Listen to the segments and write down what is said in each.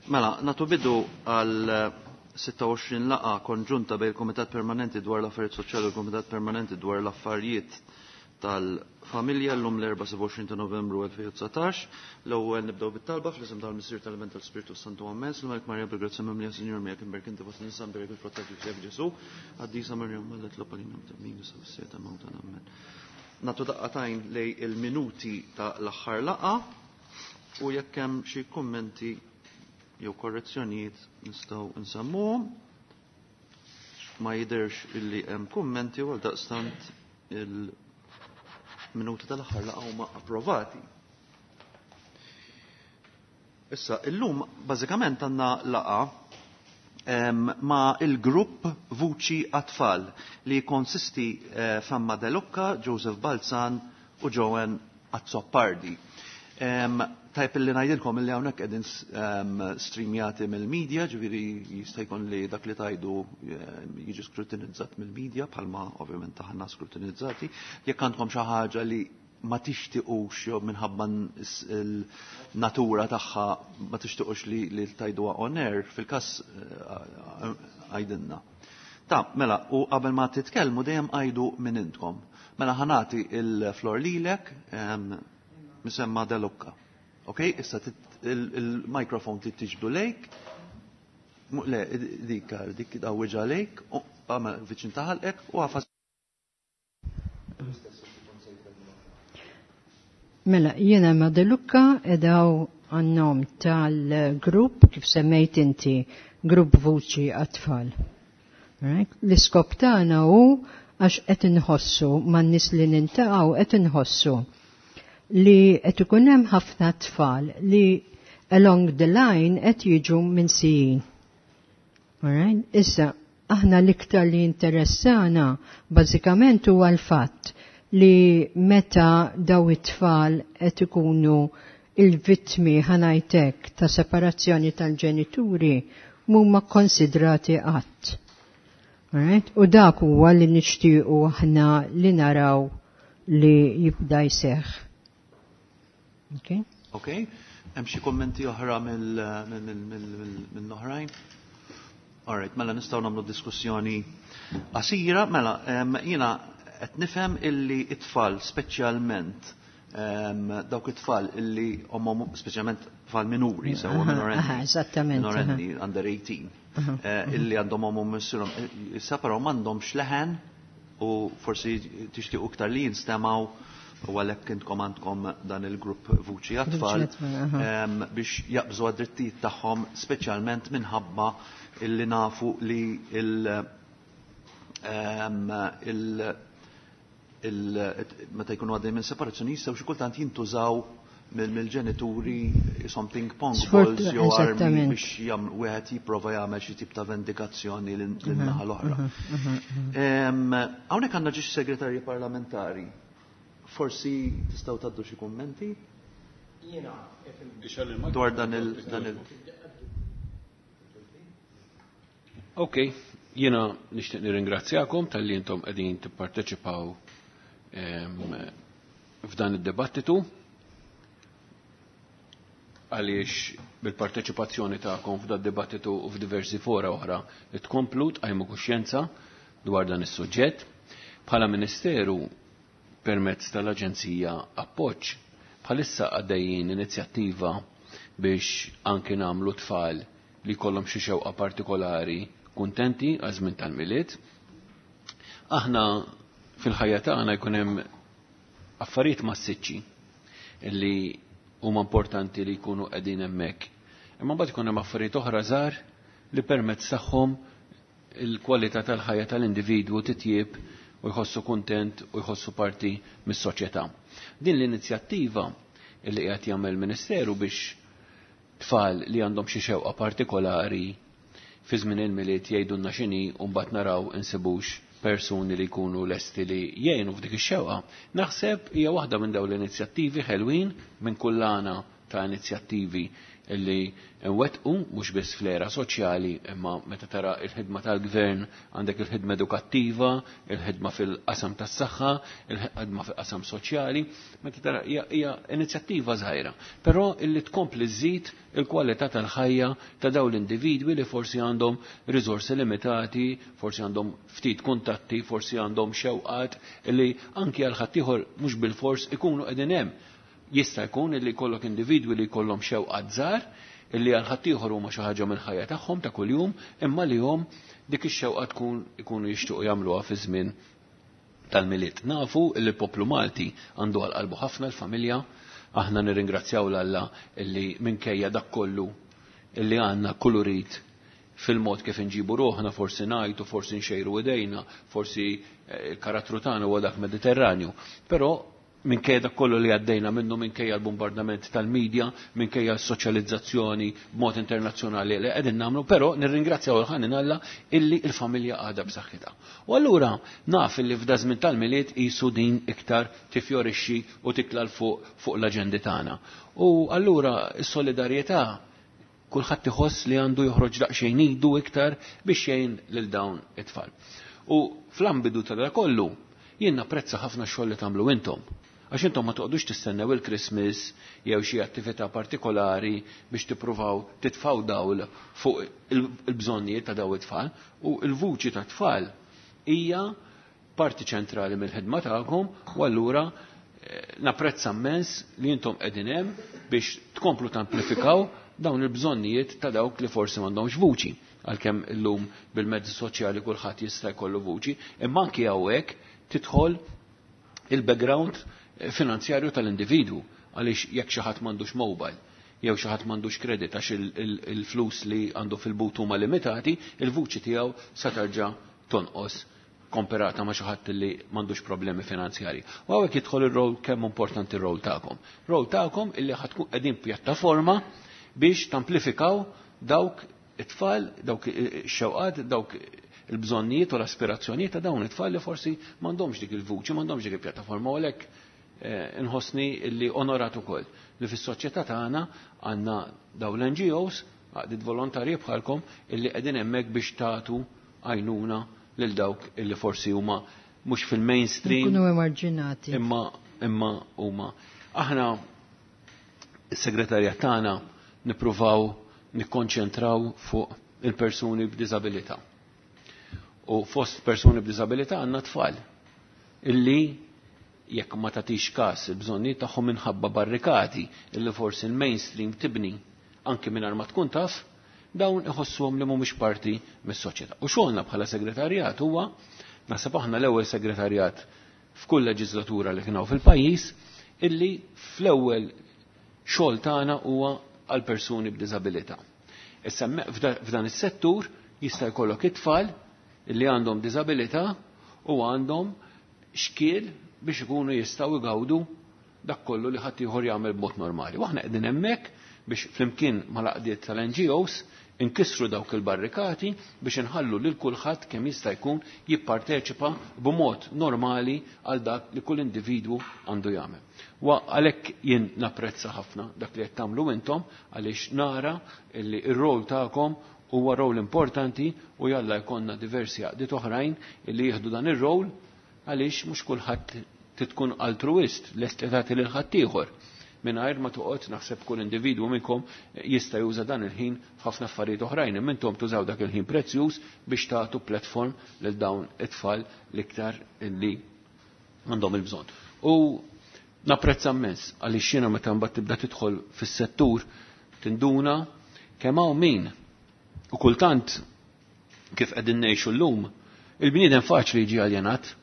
Mela, natu bidu għal 26 laqa konġunta bejn il-Komitat Permanenti dwar l-Affarijiet Soċjali u l-Komitat Permanenti dwar l-Affarijiet tal-Familja llum l-24 ta' Novembru 2019. L-ewwel nibdew bit-talba fl-isem tal-Missier tal-Iben tal-Spirtu Santu Amen. Slum Marija bil-grazzja mimlija Sinjur miegħek imberk inti fost nisa mberek il-frott tal-ġuf Ġesu. Qaddisa Marija Mallet Lopalina mtemmin sa fis-seta mawtana Amen. Natu daqqatajn lej il-minuti ta' l-aħħar laqa u jekk hemm xi kummenti jew korrezzjonijiet nistgħu nsemmuhom. Ma jidhirx illi hemm kummenti u għaldaqstant il-minuti tal-aħħar laqgħa huma approvati. Issa, illum bażikament għandna laqa ma' il-grupp Vuċi għat-Tfal li jikkonsisti eh, f'Emma De Lucca, Joseph Balzan u Joan Azzopardi. Tajb illi ngħidilkom illi hawnhekk qegħdin streamjati mill-media, ġifieri jista' jkun li dak li tajdu jiġi skrutinizzat mill-media bħalma ovvjament aħna skrutinizzati. Jekk għandkom xi ħaġa li ma tixtiqux jew minħabba l-natura tagħha ma tixtiqux li, li tajduha on air, fil-każ eh, għajdinna. Ta' mela, u qabel ma titkellmu dejjem għajdu minn intkom. Mela ħanati il-flor lilek, misemma De Lucca. Ok, issa il-mikrofon trid tiġbdu lejk. Le, dik, dik dawwiġa lejk, viċin taħalqek u għafas. Mela, jiena ma De Lucca edaw għannom tal-grupp kif semmejt inti, grupp Vuċi għat-Tfal. Right? L-iskop tagħna hu għax qed inħossu man-nies li nintaqgħu qed inħossu li qed ikun hemm ħafna tfal li along the line qed jiġu minsijin. Alright? Issa, aħna l-iktar li interessana bażikament huwa l-fatt li meta daw it-tfal qed ikunu il-vittmi ħanajtek ta' separazzjoni tal-ġenituri mhuma konsidrati qatt. Alright? U dak huwa li nixtiequ aħna li naraw li jibda jseħħ. Okay? Okay. Hemm xi kummenti oħra mill-oħrajn? Alright, mela nistgħu nagħmlu diskussjoni qasira, mela jiena qed nifhem illi it-tfal speċjalment dawk it-tfal illi omhom speċjalment tfal minuri sewwa minorenni. Eżattament. Minorenni under 18. Illi għandhom omhom missierhom issa però m'għandhomx leħen u forsi tixtiequ iktar li jinstemaw u għalhekk intkom għandkom dan il-grupp Vuċi għat-Tfal biex jaqbżu għad-drittijiet tagħhom speċjalment minħabba illi nafu li il, il, il meta jkunu għaddej minn separazzjoni jistgħu xi kultant jintużaw mill-ġenituri jisom ping pong balls jew armi biex wieħed jipprova jagħmel xi tip ta' vendikazzjoni lin-naħa l-oħra. Hawnhekk għandna ġiex segretarji parlamentari. Forsi tistgħu tgħaddu xi kummenti? Jiena dwar dan il dan il Ok, jiena nixtieq nirringrazzjakom talli intom qegħdin tipparteċipaw f'dan id-dibattitu għaliex bil-parteċipazzjoni tagħkom f'dan dibattitu u f'diversi fora oħra li tkomplu tqajmu kuxjenza dwar dan is-suġġett. Bħala Ministeru permezz tal-Aġenzija Appoġġ bħalissa għaddejjin inizjattiva biex anki nagħmlu tfal li jkollhom xi xewqa partikolari kuntenti għaż żmien tal-Milied. Aħna fil-ħajja tagħna jkun hemm affarijiet massiċċi li huma importanti li jkunu qegħdin hemmhekk. Imma mbagħad ikun hemm affarijiet oħra żgħar li permezz tagħhom il-kwalità tal-ħajja tal-individwu titjieb u jħossu kuntent u jħossu parti mis-soċjetà. Din l-inizjattiva li qiegħed jagħmel il-Ministeru biex tfal li għandhom xi xewqa partikolari fi żmien il-Milied jgħidulna x'inhi u mbagħad naraw insibux persuni li jkunu lesti li jgħinu f'dik ix-xewqa. Naħseb hija waħda minn dawn l-inizjattivi ħelwin minn kullana ta' inizjattivi li nwettqu mhux biss fl-era soċjali, imma meta tara il-ħidma tal-gvern għandek il-ħidma edukattiva, il-ħidma fil-qasam tas-saħħa, il-ħidma fil-qasam soċjali, meta tara hija inizjattiva żgħira, però illi tkompli żżid il-kwalità tal-ħajja ta' dawn l-individwi li forsi għandhom riżorsi limitati, forsi għandhom ftit kuntatti, forsi għandhom xewqat li anki għal ħaddieħor mhux bilfors ikunu qegħdin hemm. Jista' jkun illi jkollok individwi li jkollhom xewqat żgħar illi għal ħaddieħor huma xi ħaġa mill-ħajja tagħhom ta' kuljum, imma li hom dik ix-xewqa tkun ikunu jixtiequ jagħmluha fi żmien tal-Milied. Nafu li l-poplu Malti għandu għal qalbu ħafna l-familja, aħna nirringrazzjaw 'l Alla illi minkejja dak kollu illi għandna kulurit fil-mod kif inġibu ruħna, forsi ngħajtu, forsi nxejru idejna, forsi il-karattru tagħna huwa dak Mediterranju, però minkejja dak kollu li għaddejna minnu, minkejja l-bombardament tal-medja, minkejja s-soċjalizzazzjoni b'mod internazzjonali li qegħdin nagħmlu, però nirringrazzjaw il-ħanin Alla illi l-familja għadha b'saħħitha. U allura naf illi f'da żmien tal-Milied qisu din iktar tifjorixxi u titla' 'l fuq fuq l-aġendi tagħna. U allura s-solidarjetà kulħadd iħoss li għandu joħroġ daqsxejn idu iktar biex jgħin lil dawn it-tfal. U fl-ambidu ta' dak kollu jien napprezza ħafna x-xogħol li tagħmlu intom. Għax intom ma toqgħodux tistennew il-Christmas jew xi attività partikolari biex tippruvaw titfgħu dawl fuq il-bżonnijiet ta' dawn it-tfal, u l-vuċi ta' tfal hija parti ċentrali mill-ħidma tagħkom, u allura napprezza immens li intom qegħdin hemm biex tkomplu tamplifikaw dawn il-bżonnijiet ta' dawk li forsi m'għandhomx vuċi, għalkemm illum bil-mezzi soċjali kulħadd jista' jkollu vuċi, imma anki hawnhekk tidħol il-background finanzjarju tal-individwu, għaliex jekk xi ħadd m'għandux mobile jew xi ħadd m'għandux kredit għax il-flus li għandu fil-but huma limitati, il-vuċi tiegħu sa terġa' tonqos komparata ma' xi ħadd li m'għandux problemi finanzjarji. U hawnhekk jidħol ir-rol, kemm importanti r-rol tagħkom. Rol tagħkom illi ħa tkun qegħdin pjattaforma biex tamplifikaw dawk it-tfal, dawk ix-xewqat, dawk il-bżonnijiet u l-aspirazzjonijiet ta' dawn it-tfal li forsi m'għandhomx dik il-vuċi, m'għandhomx dik il-pjattaforma, u għalhekk nħossni li onorat ukoll li fis-soċjetà tagħna għandna dawn l-N G Os, għaqdiet volontarji bħalkom, illi qegħdin hemmhekk biex tagħtu għajnuna lil dawk illi forsi huma mhux fil-mainstream. Ikunu emarġinati. Imma huma. Aħna is-segretarjat tagħna nippruvaw nikkonċentraw fuq il-persuni b'diżabilità. U fost persuni b'diżabilità għandna tfal illi jekk ma tagħtix każ il-bżonnijiet tagħhom minħabba barrikati illi forsi l-mainstream tibni anki mingħajr ma tkun taf, dawn iħossuhom li mhumiex parti mis-soċjetà. U xogħolna bħala segretarjat huwa, naħseb aħna l-ewwel segretarjat f'kull leġislatura li kien hawn fil-pajjiż, illi fl-ewwel xogħol tagħna huwa għal persuni b'diżabilità. Issa f'dan is-settur jista' jkollok it-tfal illi għandhom diżabilità u għandhom xkiel biex ikunu jistgħu jgawdu dak kollu li ħadd ieħor jagħmel b'mod normali. U aħna qegħdin hemmhekk biex flimkien mal-għaqdiet tal-N G Os inkissru dawk il-barrikati biex inħallu lil kulħadd kemm jista' jkun jipparteċipa b'mod normali għal dak li kull individwu għandu jagħmel. Wa għalhekk jien napprezza ħafna dak li qed tagħmlu intom, għaliex nara li r-rol tagħkom huwa rol importanti u jalla jkollna diversi għaqdiet oħrajn li jieħdu dan ir-rol, għaliex mhux kulħadd tkun altruist lest li tagħti lil ħaddieħor. Mingħajr ma toqgħod naħseb kull individwu minnkom jista' juża dan il-ħin f'ħafna affarijiet oħrajn, imma intom tużaw dak il-ħin prezzjuż biex tagħtu platform lil dawn it-tfal l-iktar li għandhom il-bżonn. U napprezza immens għaliex jiena meta mbagħad tibda tidħol fis-settur tinduna kemm hawn min. U kultant kif qegħdin ngħixu llum, il-bniedem faċli jiġi aljenat.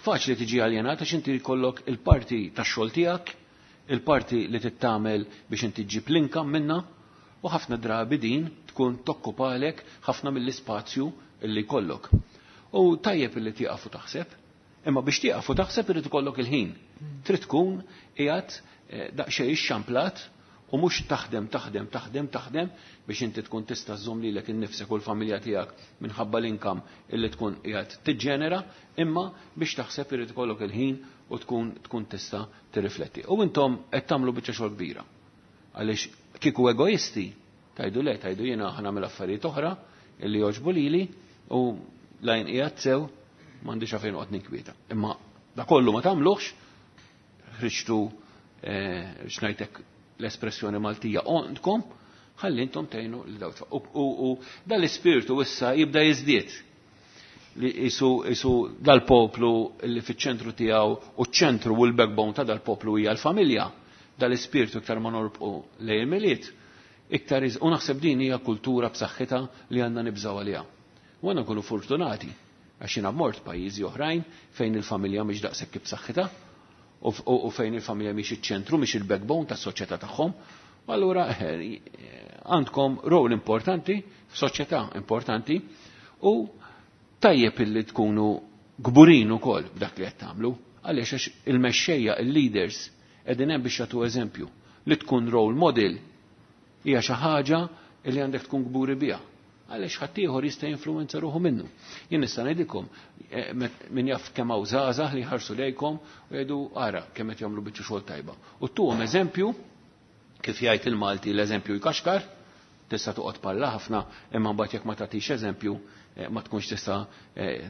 Faċli tiġi aljenat għax inti jkollok il-parti tax-xogħol tiegħek, il-parti li tittamel biex inti ġġib l-income minna, u ħafna drabi din tkun tokkupalek ħafna mill-ispazju illi jkollok. U tajjeb illi tieqaf u taħseb, imma biex tieqaf u taħseb irid ikollok il-ħin. Trid tkun qiegħed daqsxejn ixxamplat u mhux taħdem, taħdem, taħdem, taħdem biex inti tkun tista' żżomm lilek innifsek u l-familja tiegħek minħabba l-income illi tkun qiegħed tiġġenera, imma biex taħseb irid ikollok il-ħin u tkun tista' tirrifletti. U intom qed tagħmlu biċċa xogħol kbira. Għaliex kieku egoisti, tajdu le, tajdu jiena ħa nagħmel affarijiet oħra illi jogħġbu lili u lajn qiegħed sew m'għandix għalfejn noqgħod ninkwieta. Imma da kollu ma tagħmluhx, ħriġtu x'ngħidlek l-espressjoni Maltija għandkom, ħalli intom tgħinu lil dawk. U dal-ispirtu issa jibda jiżdied li jisu dal-poplu li fiċ-ċentru tiegħu u ċ-ċentru u l-backbone ta' dal-poplu hija l-familja. Dal-ispirtu iktar ma norbqu lejn il-Milied, iktar u naħseb din hija kultura b'saħħitha li għandna nibżgħu għaliha. U għandna nkunu fortunati għax jiena mort pajjiżi oħrajn fejn il-familja mhix daqshekk b'saħħitha u fejn il-familja mhix iċ-ċentru, mhix il-backbone tas-soċjetà tagħhom. U allura għandkom rol importanti f'soċjetà importanti u tajjeb illi tkunu kburin ukoll b'dak li qed tagħmlu, għaliex għax il-mexxejja, il-leaders qegħdin hemm biex jagħtu eżempju li tkun role model hija xi ħaġa li għandek tkun kburi biha. Għaliex ħaddieħor jista' jinfluwenza ruħu minnu. Jien nista' ngħidilkom min jaf kemm hawn żgħażagħ li jħarsu lejkom u jgħidu ara kemm qed jagħmlu biċċa xogħol tajba. U tuhom eżempju, kif jgħid il-Malti l-eżempju jkaxkar, tista' toqgħod parla ħafna, imma mbagħad jekk ma tagħtix eżempju ma tkunx tista'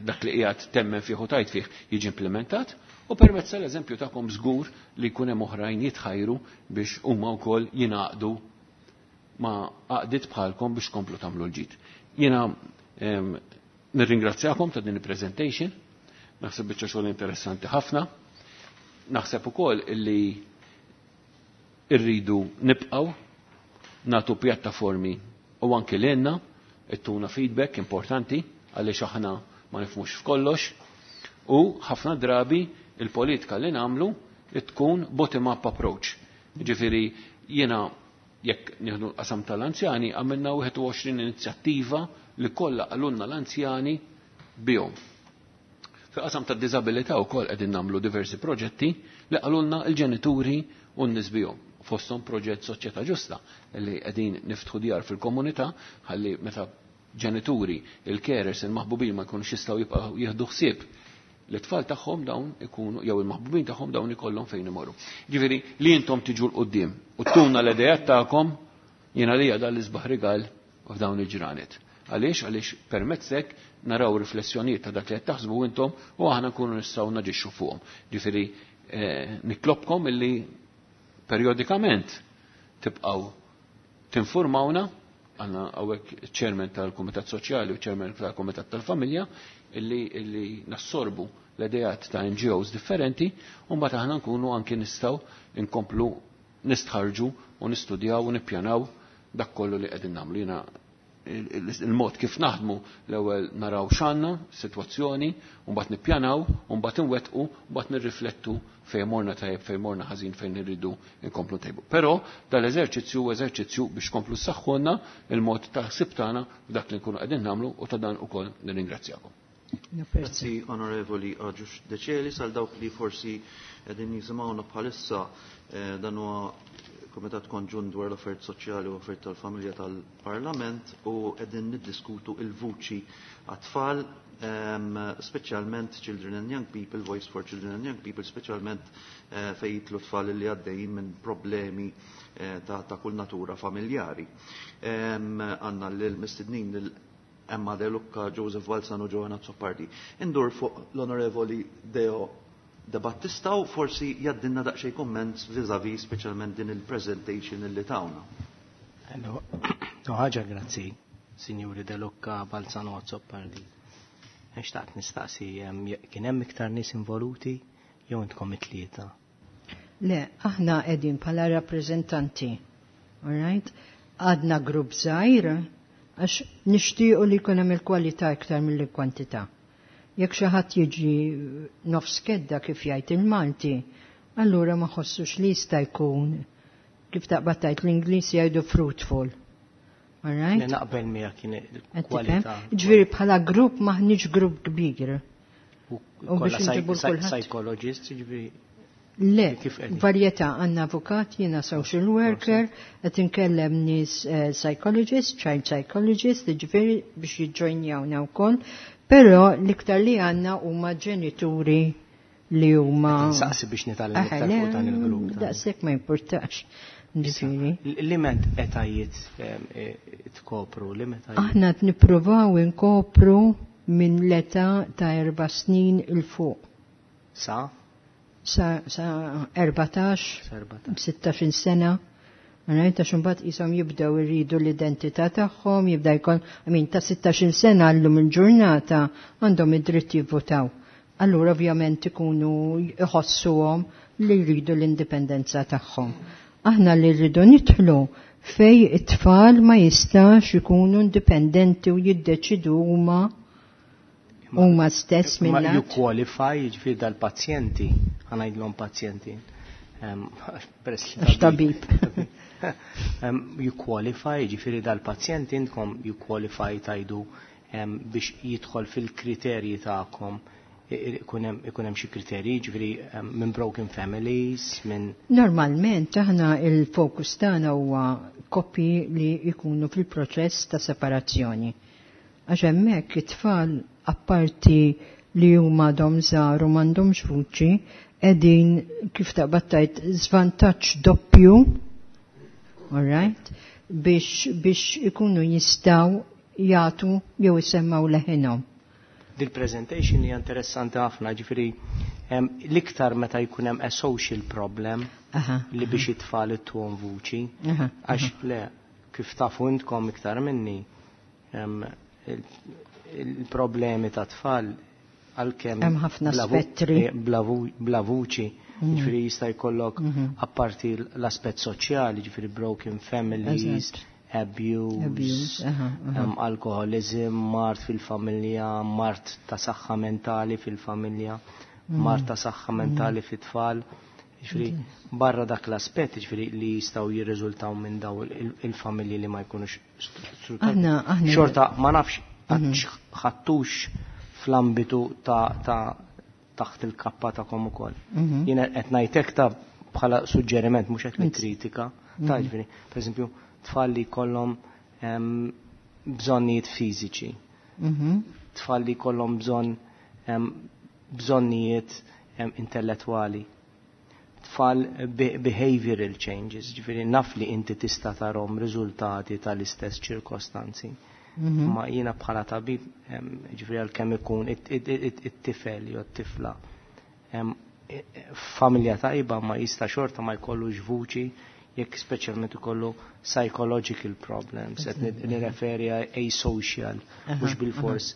dak li qiegħed temmen fih u tajt fih jiġi implementat, u permezz tal-eżempju tagħkom żgur li jkun hemm oħrajn jitħajru biex huma wkoll jingħaqdu ma' għaqdiet bħalkom biex komplu tagħmlu l-ġid. Jiena nirringrazzjakom ta' din il-presentation, naħseb biċċa xogħol interessanti ħafna, naħseb ukoll illi irridu nibqgħu nagħtu pjattaformi u anki lilna ittuna feedback importanti għaliex aħna ma nifhmux f'kollox u ħafna drabi il-politika li nagħmlu tkun bottom-up approach. Ġifieri jiena jekk nieħdu l-qasam tal-anzjani għamilna 21 inizjattiva li kollha qalulna l-anzjani bihom. Fil-qasam tad-diżabilità wkoll qegħdin nagħmlu diversi proġetti li qalulna l-ġenituri u n-nies bihom. Fosthom proġett Soċjetà Ġusta li qegħdin niftħu djar fil-komunità ħalli meta ġenituri, il-carers, il-maħbubin ma jkunux jistgħu jibqgħu jieħdu ħsieb l-tfal tagħhom dawn ikunu jew il-maħbubin tagħhom dawn ikollhom fejn imorru. Ġifieri li intom tiġu 'l quddiem u tuna l-idejat tagħkom jiena lija dan l-isbaħ rigal f'dawn il-ġranet. Għaliex? Għaliex permezz hekk naraw riflessjonijiet ta' dak li qed taħsbu intom u aħna nkunu nistgħu naġixxu fuqhom. Ġifieri nitlobkom illi periodikament tibqgħu tinformawna, għandna hawnhekk chairman tal-Kumitat Soċjali u chairman tal-Kumitat tal-Familja, illi nassorbu l-idejat ta' NGOs differenti, u mbagħad aħna nkunu anki nistgħu nkomplu nistħarġu u nistudjaw u nippjanaw dak kollu li qegħdin nagħmlu. Jiena il-mod kif naħdmu l-ewwel naraw x'għandna, sitwazzjoni, u mbagħad nippjanaw, u mbagħad inwettqu, u mbagħad nirriflettu fejn morna tajjeb, fejn morna ħażin, fejn irridu nkomplu ntejbu. Però dal-eżerċizzju huwa eżerċizzju biex komplu ssaħħulna il-mod ta' ħsieb tagħna f'dak li nkunu qegħdin nagħmlu u ta' dan ukoll nirringrazzjakom. Grazzi, Onorevoli Agius Decelis, għal dawk li forsi qegħdin jisimgħuna bħalissa dan huwa Komitat Konġunt dwar l-Affarijiet Soċjali u Affarijiet tal-Familja tal-Parlament u qegħdin niddiskutu il-vuċi għat-tfal, speċjalment Children and Young People, Voice for Children and Young People, speċjalment fejn jidħlu tfal li għaddejjin minn problemi ta' kull natura familjari. Għandna l-mistednin lil Emma De Lucca, Joseph Balzan u Joanna Azzopardi. Indur fuq l-Onorevoli Deo De Battista u forsi jgħaddilna daqsxejn comments vis-a-vis speċjalment din il-presentation illi tawna. Hello. Ħaġa grazzi, Signori De Lucca, Balzan u Azzopardi. Xtaqt nistaqsi, kien hemm iktar nies involuti jew intkom it-tlieta? Le, aħna qegħdin bħala rappreżentanti. All right? Għadna grupp żgħir għax nixtiequ li jkun hemm il-kwalità iktar mill-kwantità. Jekk xi ħadd jiġi nofs kedda kif jgħid il-Malti, allura ma ħossux li jista' jkun kif taqbad tgħid l-Ingliż jgħidu fruitful. All right? Le, naqbel miegħek kien Qed tifhem? il-kwalità. Ġifieri bħala grupp maħniex grupp kbir. U U biex kollha inġibu kulħadd. psychologist, ġifieri Le, Kif qegħdin? varjetà, għandna avukat, jiena social worker, qed inkellem nies psychologist, child psychologist, ġifieri biex jiġġojnjawna wkoll, però l-iktar li għandna huma ġenituri li huma Qed insaqsi biex nitgħallem iktar Le, fuq dan il-grupp. Daqshekk ma importax. Ġifieri. Liment etajiet tkopru, liment etajiet. Aħna qed nippruvaw inkopru minn l-età ta' 4 snin 'il fuq. Sa? Sa, sa 14, Sa 14. 16 sena. Right, għax imbagħad qishom jibdew iridu l-identità tagħhom, jibda jkun, I mean, ta' 16 sena llum il-ġurnata għandhom id-dritt jivvotaw. Allura ovvjament ikunu jħossuhom li jridu l-indipendenza tagħhom. Aħna li rridu nidħlu fej it-tfal ma jistax ikunu indipendenti u jiddeċidu huma stess Ma minn you qualify, jiġifieri dal-pazjenti, ħa ngħidlhom pazjenti. Peress li Għax tabib. You qualify, jiġifieri dal-pazjenti intkom you qualify tajdu biex jidħol fil-kriterji tagħkom. Ikun hemm xi kriterji, jiġifieri minn broken families, minn Normalment aħna il-fokus tagħna huwa koppji li jkunu fil-proċess ta' separazzjoni. Għax hemmhekk it-tfal apparti li huma għadhom żgħar u m'għandhomx vuċi, qegħdin kif taqbad tgħid żvantaġġ doppju, all right, biex ikunu jistgħu jagħtu jew isemmaw leħinhom. Dil-presentation hija interessanti ħafna, ġifieri l-iktar meta jkun hemm a social problem li biex it-tfal ittuhom vuċi, għax le kif tafu intkom iktar minni, il-problemi ta' tfal għalkemm Hemm ħafna spettri. Bla vuċi, ġifieri jista' jkollok apparti l-aspett soċjali, ġifieri broken families, abuse, Abuse, aha. Alkoholizm, mard fil-familja, mard ta' saħħa mentali fil-familja, mard ta' saħħa mentali fit-tfal. Ġifieri, barra dak l-aspett, ġifieri li jistgħu jirriżultaw minn daw il-familji li ma jkunux strutturati. Aħna Xorta ma nafx ħattux fl-ambitu ta' taħt il-kappa ta' kom ukoll. Jiena qed ngħidlek ta' bħala suġġeriment, mhux qed nikkritika. Ta' ġifieri, pereżempju, tfal li jkollhom bżonnijiet fiżiċi, tfal li jkollhom bżonnijiet intellettwali, tfal behavioral changes, ġifieri naf li inti tista' tarhom riżultati tal-istess ċirkostanzi. Ma jiena bħala tabib, ġifieri għalkemm ikun it-tifel jew it-tifla, familja tajba ma jista' xorta ma jkollux vuċi jekk speċjalment ikollu psychological problems, qed nirreferi għal asocial, mhux bil-fors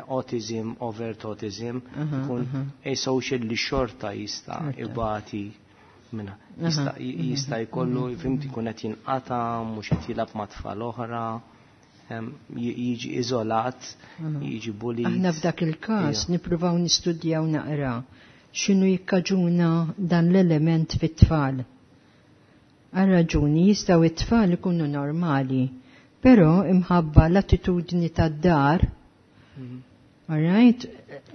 autism, overt autism, ikun asocial li xorta jista' ibati minna. Jista' jkollu, fhimt, ikun qed jinqata', mhux qed jilgħab ma' tfal oħra, jiġi iżolat, jiġi bullied. Aħna f'dak il-każ nippruvaw nistudjaw naqra x'inhu jikkaġuna dan l-element fit-tfal. Għal raġuni jistgħu it-tfal ikunu normali, però imħabba l-attitudni tad-dar, all right?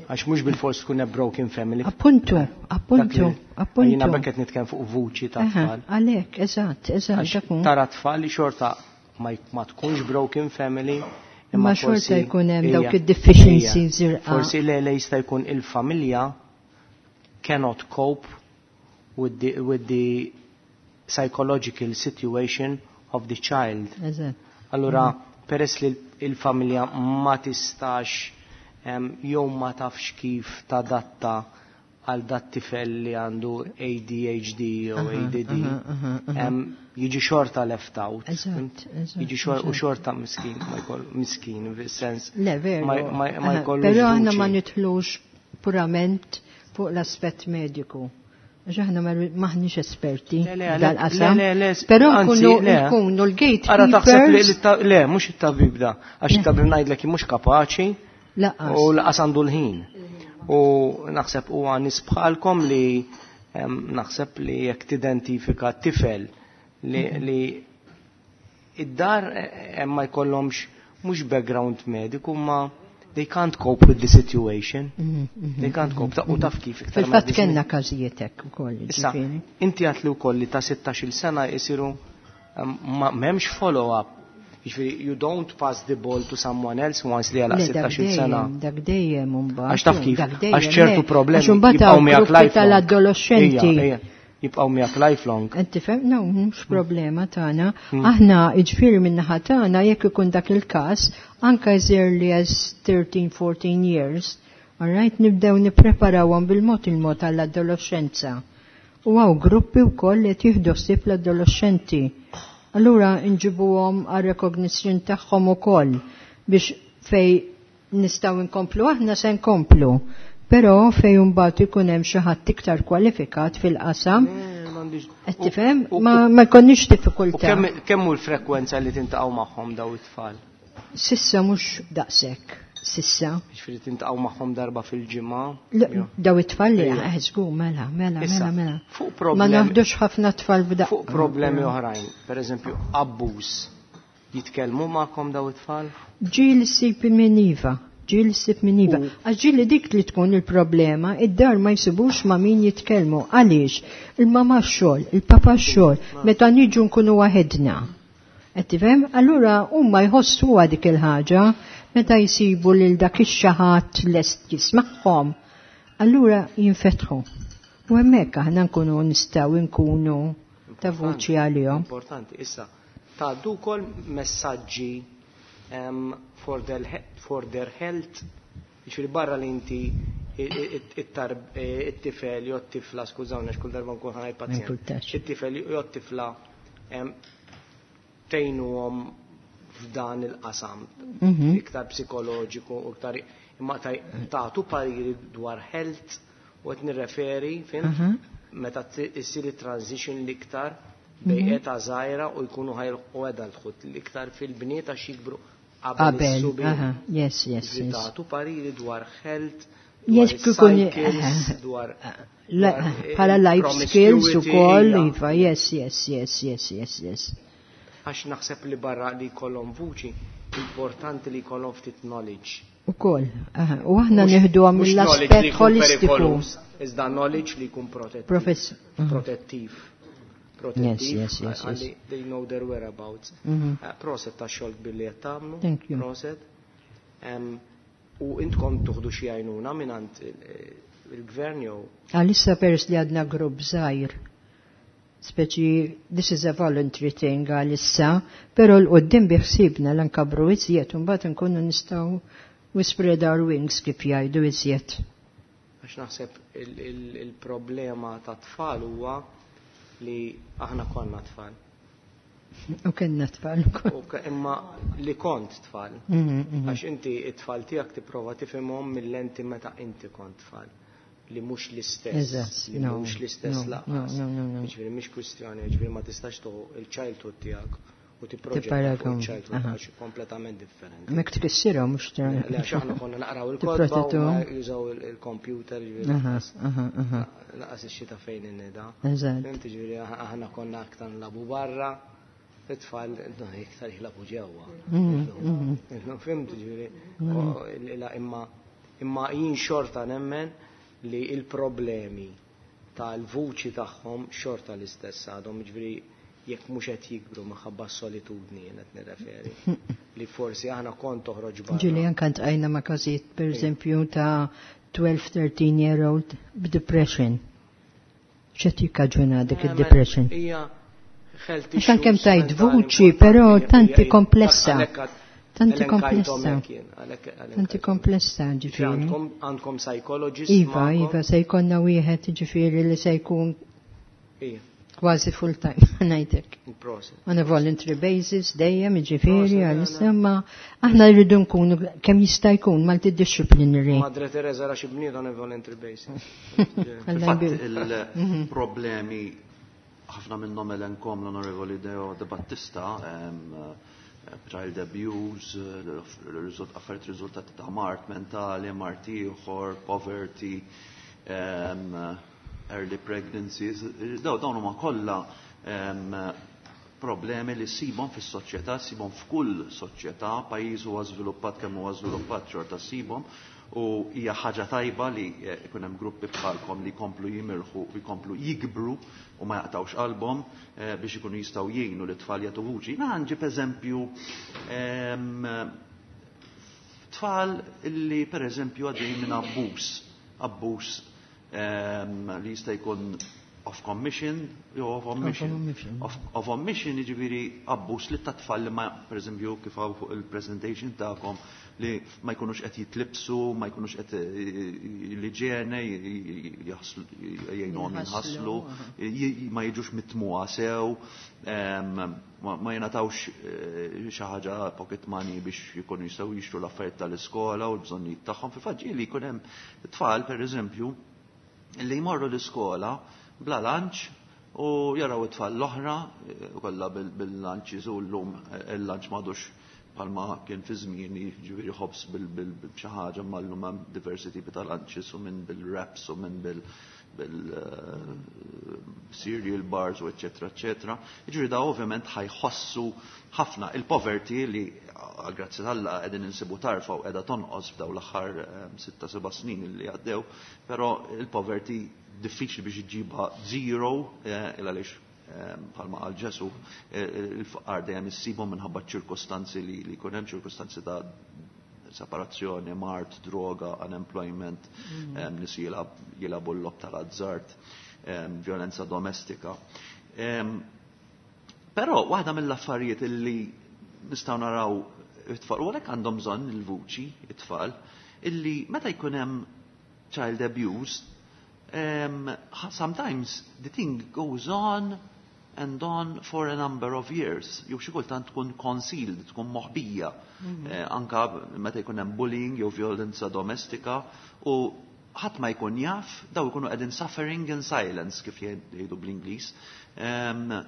Għax mhux bil-fors tkun a broken family. Appuntu, appuntu, Dak li appuntu. Jiena bekk qed nitkellem fuq vuċi ta' tfal. Għalhekk, eżatt, eżatt, Għax dak hu. tara tfal li xorta ma tkunx broken family, imma Ma xorta forsi jkun hemm dawk hija id-deficiencies hija. irqa. Forsi le jista' jkun il-familja cannot cope with the psychological situation of the child. Allura, peress li il-familja ma tistax jew ma tafx kif tadatta għal dat tifel li għandu ADHD jew ADD, jiġi xorta left out. Jiġi u xorta miskin, ma jkoll miskin fis-sens. Le, veru. Ma jkollux Però aħna ma vuċi. nidħlux purament fuq l-aspett mediku. Għax aħna maħniex esperti Le, le, le, dal-qasam. le, le, Però anzi, le. nkunu l-gatekeepers. Ara taħseb li le, mhux it-tabib da, għax it-tabib ngħidlek mhux kapaċi Laqas. u laqas għandu l-ħin. U naħseb huwa nies bħalkom li naħseb li jekk tidentifika tifel li id-dar hemm ma jkollhomx mhux background mediku ma they can't cope with the situation. They can't cope. U taf kif iktar ma Fil-fatt jgħaddix kellna każijiet hekk ukoll, Issa, ġifieri. inti għat li wkoll li ta' 16-il sena jisiru, ma m'hemmx follow-up. Jiġifieri, you don't pass the ball to someone else once li għalaq Le, dak 16-il sena. dejjem, dak dejjem imbagħad. Għax taf kif, Dak dejjem, għax ċertu le. problemi Għax imbagħad jibqgħu hawn miegħek gruppi lifelong. tal-adolescenti Ija, ija. jibqgħu miegħek lifelong. Qed tifhem? No, mhux problema tagħna. Aħna jiġifieri min-naħa tagħna jekk ikun dak il-każ, anke as early as 13, 14 years, all right, nibdew nippreparawhom bil-mod il-mod għall-adolescenza. U hawn gruppi wkoll li qed jieħdu ħsieb l-adolescenti. Allura nġibuhom għal recognition tagħhom ukoll biex fej nistgħu nkomplu aħna se nkomplu. Però fej mbagħad ikun hemm xi ħadd iktar kwalifikat fil-qasam, qed tifhem, ma jkollniex U diffikultà. kemm hu l-frekwenza li tintaqgħu magħhom daw it-tfal? Sissa mhux daqshekk, sissa. Jiġifieri tintaqgħu magħhom darba fil-ġimgħa? Daw it-tfal li żgur, mela, mela, Issa, mela, mela. fuq Ma problemi naħdux ħafna tfal b'daqqa. Fuq problemi oħrajn, per eżempju, abbuż, jitkellmu magħkom daw it-tfal? Ġieli ssib minn iva, ġieli ssib minn iva. Għax ġieli dik li tkun il-problema, id-dar ma jsibux ma' min jitkellmu. Għaliex? Il-mama x-xogħol, il-papa x-xogħol, meta niġu nkunu waħedna. Qed tifhem? Allura huma jħossuha dik il-ħaġa meta jsibu lil dak ix-xi ħadd lest jismagħhom. Allura jinfetħu. U hemmhekk aħna nkunu nistgħu nkunu ta' vuċi għalihom. Importanti, issa, tgħaddu wkoll messaġġi for their health, jiġifieri barra li inti it-tifel jew t-tifla, skużawni kull darba nkun ħa ngħid pazjent. Ma jimpurtax. It-tifel jew t-tifla tgħinuhom f'dan il-qasam, iktar psikoloġiku u iktar imma tagħtu pariri dwar health u qed nirreferi, fhimt? Meta issir it-transition l-iktar bejn età żgħira u jkunu ħa jilħqu adulthood l-iktar fil-bniet għax jikbru qabel Qabel, is-subien. aha, yes, yes, Jiġifieri yes. tagħtu pariri dwar health, Yes, dwar kikun, cycles, dwar bħala life skills promiscuity, ukoll, ija. iva, yes, yes, yes, yes, yes, yes. Għax naħseb li barra li jkollhom vuċi, importanti li jkollhom ftit knowledge. Ukoll, aha, u aħna nieħduha Mhux mill-aspett knowledge li jkun holistiku. perikoluż, iżda knowledge li jkun protettiv. Profess- aha. Protettiv. Protettiv. Yes, yes, yes, yes. Għalli they know their whereabouts. Proset ta' xogħol billi qed tagħmlu. Thank you. Proset. U intkom tuħdu xi għajnuna mingħand il-gvern jew? Għalissa peress li għadna grupp żgħir. Speċi, this is a voluntary thing għalissa, pero 'l quddiem biħsibna l-nkabru iżjed, u mbagħad nkunu nistgħu we spread our wings kif jgħidu iżjed. Għax naħseb il-problema ta' tfal huwa li aħna konna tfal. U kellna tfal ukoll. U imma li kont tfal. Għax inti it-tfal tiegħek tipprova tifhimhom mill-lenti meta inti kont tfal. Li mhux l-istess. Eżatt, Li no, mhux l-istess no, lanqas. no, no, no, no. Jiġifieri mhix kwistjoni, jiġifieri ma tistax tuħu il-childhood tiegħek u tipproġetta fuq Tipparagon, il-childhood aha. għax kompletament differenti. Mek tkissirhom mhux tra- Le, għax aħna konna naqraw il-kotba u Tipprotettuhom. ma jużaw il-computer, jiġifieri Aha, aha, aha. laqas ix-xita fejn innida. Eżatt. Fhimt, jiġifieri aħna konna aktar nlabu barra, it-tfal no, iktar jilagħbu ġewwa. No, fhimt, jiġifieri, imma jien xorta nemmen li il-problemi tal-vuċi tagħhom xorta l-istess għadhom, jiġifieri jekk mhux qed jikbru minħabba s-solitudni jien qed nirreferi. Li forsi aħna kont toħroġ barra. Ġieli anke ntqajna ma' każijiet, per eżempju, ta' 12-13 year old b'depression. X'qed jikkaġuna dik id-depression? Hija health Għax anke issues tajt mentali vuċi, importanti, però tanti hija komplessa. Tanti elenkajthom komplessa. hekk jien, għalhekk Tanti elenkajthom. komplessa, Ġifieri ġifieri. Għandkom psychologist Iva, magħkom? iva, se jkollna wieħed ġifieri li se jkun kważi full time, ngħidlek. Proset. On a voluntary basis, dejjem, ġifieri, Proset, għalissa, ma aħna rridu nkunu kemm jista' jkun multidisciplinary. Madre Teresa ra xi bniet on a voluntary basis. Alla Fil-fatt jbir. il-problemi ħafna minnhom elenkom l-Onorevoli Deo De Battista, child abuse, affarijiet riżultati ta' mard mentali, mard ieħor, poverty, early pregnancies, dawn huma kollha problemi li ssibhom fis-soċjetà, ssibhom f'kull soċjetà, pajjiż huwa żviluppat kemm huwa żviluppat xorta ssibhom, u hija ħaġa tajba li ikun hemm gruppi bħalkom li jkomplu jimirħu u jkomplu jikbru u ma jaqtawx qalbhom biex ikunu jistgħu jgħinu li tfal jagħtu vuċi. Na nġib eżempju tfal li per eżempju għaddej minn abbuż, abbuż li jista' jkun Of commission jew of omission. Of omission jiġifieri abbuż li tat-tfal li ma, pereżempju, kif hawn fuq il-presentation tagħkom, li ma jkunux qed jitlibsu, ma jkunux qed l-iġene jgħinuhom jinħaslu, ma jiġux mitmuha sew, ma jingħatawx xi ħaġa, pocket money, biex jkunu jistgħu jixtru l-affarijiet tal-iskola u l-bżonnijiet tagħhom. Fil-fatt ġieli jkun hemm tfal, pereżempju, li jmorru l-iskola bla lunch u jaraw it-tfal l-oħra kollha bil-lunches, u llum il-lunch m'għadux bħalma kien fi żmieni, ġifieri ħobż bil xi ħaġa, ma llum hemm diversi tipi ta' lunches, u minn bil-wraps u minn bil cereal bars u eccetera, eccetera. Ġifieri da ovvjament ħa jħossu ħafna il-poverty li grazzi t'Alla qegħdin insibu tarfa u qiegħda tonqos f'daw l-aħħar 6-7 snin li għaddew, però il-poverty diffiċli biex iġibha zero, il għaliex bħalma qal Ġesu, il-faqar dejjem issibhom minħabba ċirkostanzi li jkun hemm, ċirkostanzi ta' separazzjoni, mard, droga, unemployment, nies jilagħbu l-logħob tal-azzard, violenza domestika. Però waħda mill-affarijiet illi nistgħu naraw it-tfal, u għalhekk għandhom bżonn il-vuċi it-tfal, illi meta jkun hemm child abuse, sometimes the thing goes on and on for a number of years. Jew xi kultant tkun concealed, tkun moħbija. Anka meta jkun hemm bullying jew violenza domestika u ħadd ma jkun jaf, daw ikunu qegħdin suffering in silence, kif jgħidu bl-Ingliż.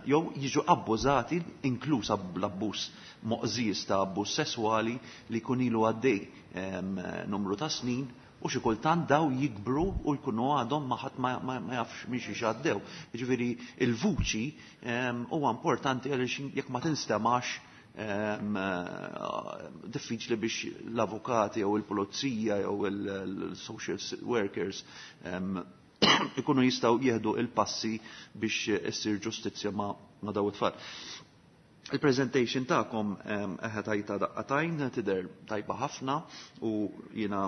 Jew jiġu abbużati, inkluż l-abbuż moqżież ta' abbuż sesswali li jkun ilu għaddej numru ta' snin, u xi kultant daw jikbru u jkunu għadhom ma ħadd ma jafx minn xiex għaddew. Jiġifieri il-vuċi huwa importanti għaliex jekk ma tinstemax, diffiċli biex l-avukati jew il-pulizija jew il-social workers ikunu jistgħu jieħdu il-passi biex issir ġustizzja ma' daw it-tfal. Il-presentation tagħkom eħe tajta daqqa t'għajn, tidher tajba ħafna, u jiena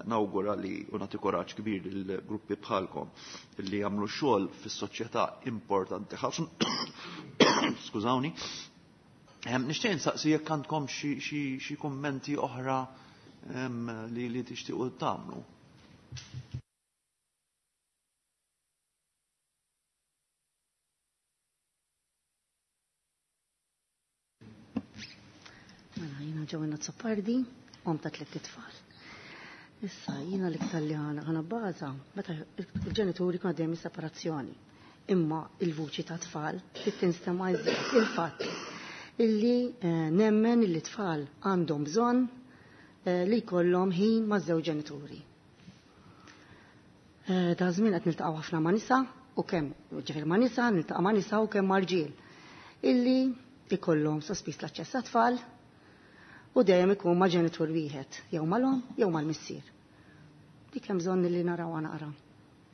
nawgura li u nagħti kuraġġ kbir lill-gruppi bħalkom li jagħmlu xogħol fis-soċjetà importanti ħafna. Skużawni. Nixtieq insaqsi jekk għandkom xi kummenti oħra li tixtiequ tagħmlu. Mela, jiena Joanna Azzopardi, omm ta' tliet itfal. Issa, jiena l-iktar li ħana baza, meta il-ġenituri kienu għaddejjem separazzjoni. Imma il-vuċi ta' tfal trid tinstema' iżjed, il-fatt illi nemmen illi tfal għandhom bżonn li jkollhom ħin ma' żewġ ġenituri. Da żmien qed niltaqgħu ħafna ma' nisa u kemm ġifier ma' nisa, niltaqa' ma' nisa u kemm ma' rġiel illi ikollhom sospiż l-aċċess għat-tfal u dejjem ikun ma' ġenitur wieħed, jew mal-omm jew mal-missier. Dik hemm bżonn li narawha naqra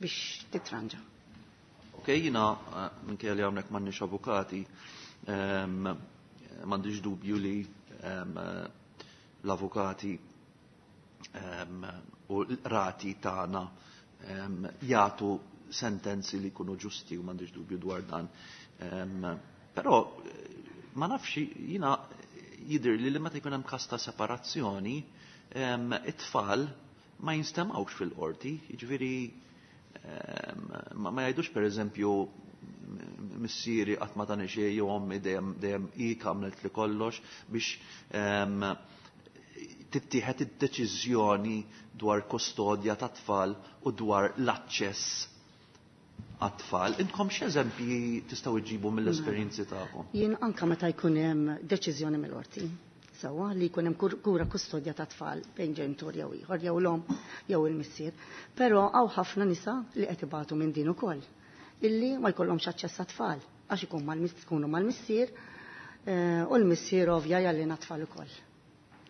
biex titranġa. Ok, jiena minkejja li hawnhekk m'għandniex avukati, m'għandix dubju li l-avukati u l-rati tagħna jagħtu sentenzi li jkunu ġusti u m'għandix dubju dwar dan. Però ma nafx, jiena jidher li meta jkun hemm każ ta' separazzjoni, it-tfal ma jinstemawx fil-qorti, jiġifieri ma jgħidux, pereżempju, missieri qatt ma tani xejn jew ommi dejjem hi għamlet li kollox, biex tittieħed id-deċiżjoni dwar kustodja ta' tfal u dwar l-aċċess għat-tfal. Intkom x'eżempji tistgħu iġibu mill-esperjenzi tagħkom? Jien anka meta jkun hemm deċiżjoni mill-qorti, sewwa, li jkun hemm kura kustodja ta' tfal bejn ġenitur jew ieħor, jew l-omm jew il-missier. Però hawn ħafna nisa li qed ibatu minn din ukoll, illi ma jkollhomx aċċess għat-tfal għax ikun ikunu mal-missier u l-missier ovvja jallina tfal ukoll.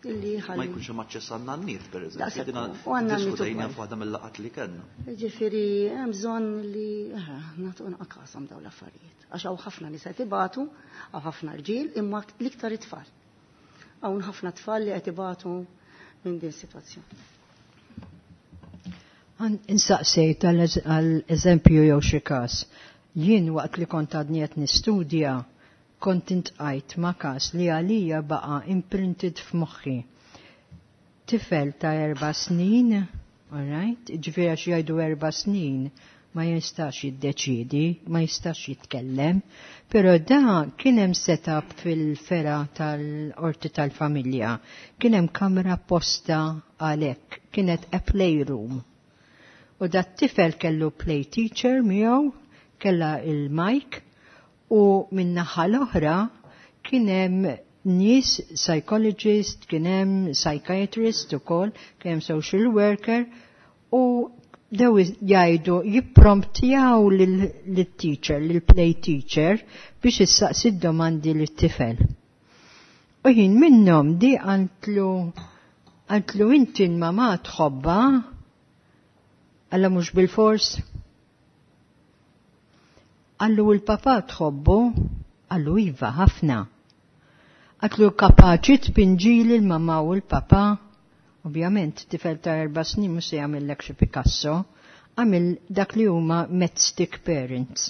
Illi Ma jkunx hemm aċċess għan-nanniet, pereżempju. Daqshekk Dina u għan-nanniet diskutejna ukoll. f'waħda mill-laqgħat li kellna. Ġifieri hemm bżonn li nagħtu naqasam dawn l-affarijiet. Għax hawn ħafna nisa qed ibatu, hawn ħafna rġiel, imma l-iktar it-tfal. Hawn ħafna tfal li qed ibatu minn din is-sitwazzjoni. Insaqsejt għal eżempju jew xi każ. Jien waqt li kont għadni qed nistudja kont intqajt ma' każ li għalija baqa' imprinted f'moħħi. Tifel ta' 4 snin, all right, ġifieri għax jgħidu 4 snin ma jistax jiddeċidi, ma jistax jitkellem, pero da kien hemm setup fil-fergħa tal-qorti tal-familja, kien hemm kamra apposta għalhekk, kienet a playroom. U dat tifel kellu play teacher miegħu, kella il-mic, u min-naħa l-oħra kien hemm nies psychologist, kien hemm psychiatrist ukoll, kien hemm social worker u dew jgħidu jippromptjaw lill-teacher, lill-play teacher biex issaqsi domandi lit-tifel. U jien minnhom di għantlu inti l-mama tħobba, għalla mhux bil-fors. Għallu l-papa tħobbu, għallu iva ħafna. Għatlu kapaċi tpinġili l-mama u l-papa, ovvjament tifel ta' 4 snin mhux se jagħmellek xi Picasso, għamil dak li huma matchstick parents.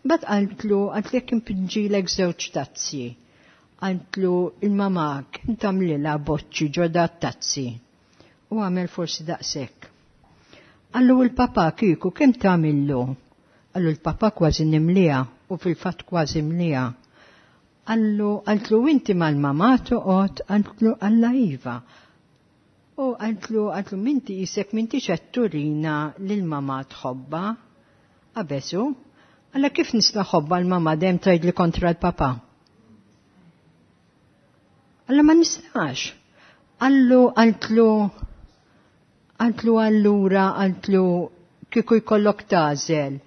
Bat għaltlu, għaltlu jekk impinġilek żewġ tazzi. Għaltlu il-mama kien tagħmlilha boċċi ġodda tazzi. U għamel forsi daqshekk. Għallu l-papa kieku kemm tagħmillu? Għallu l-papa kważi nimlija u fil-fatt kważi mlija. Għallu, għaltlu inti mal-mama toqgħod, għaltlu Alla iva. U għaltlu minti jisek minti turina lil-mama tħobba. Abesu, għalla kif nista' ħobba l-mama dem tgħidli kontra l-papa? Alla ma nistax. Għallu, għaltlu allura, għaltlu kieku jkollok tagħżel.